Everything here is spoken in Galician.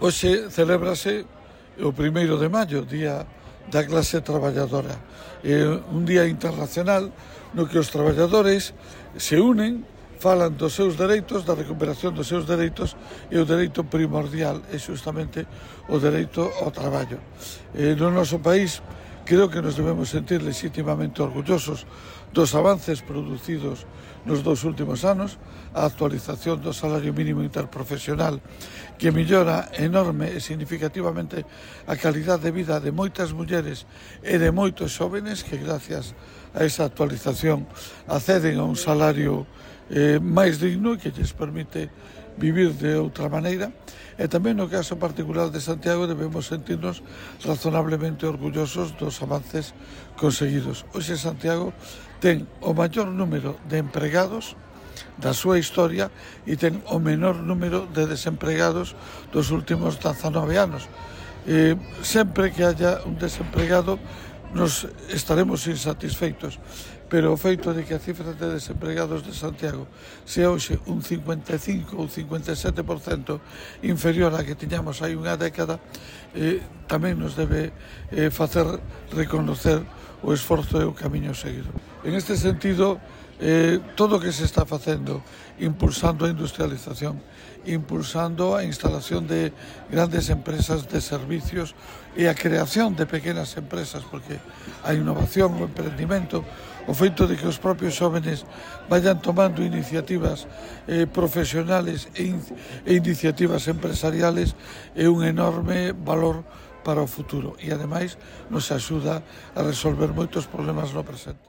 Hoxe celébrase o 1º de maio, Día da Clase Traballadora. É un día internacional no que os traballadores se unen, falan dos seus dereitos, da recuperación dos seus dereitos, e o dereito primordial é xustamente o dereito ao traballo. No noso país creo que nos debemos sentir legítimamente orgullosos dos avances producidos nos 2 últimos anos, a actualización do salario mínimo interprofesional que mellora enorme e significativamente a calidade de vida de moitas mulleres e de moitos xóvenes que gracias a esa actualización acceden a un salario máis digno e que lles permite vivir de outra maneira. E tamén no caso particular de Santiago debemos sentirnos razonablemente orgullosos dos avances conseguidos. Hoxe Santiago ten o maior número de empregados da súa historia e ten o menor número de desempregados dos últimos 19 anos. Sempre que haya un desempregado nos estaremos insatisfeitos, pero o feito de que a cifra de desempregados de Santiago sea hoxe un 55 ou 57% inferior á que tiñamos hai unha década, tamén nos debe facer reconocer o esforzo e o camiño seguido. En este sentido, todo o que se está facendo, impulsando a industrialización, impulsando a instalación de grandes empresas de servicios e a creación de pequenas empresas, porque a innovación, o emprendimento, o feito de que os propios xóvenes vayan tomando iniciativas profesionales e iniciativas empresariales é un enorme valor para o futuro e, ademais, nos axuda a resolver moitos problemas no presente.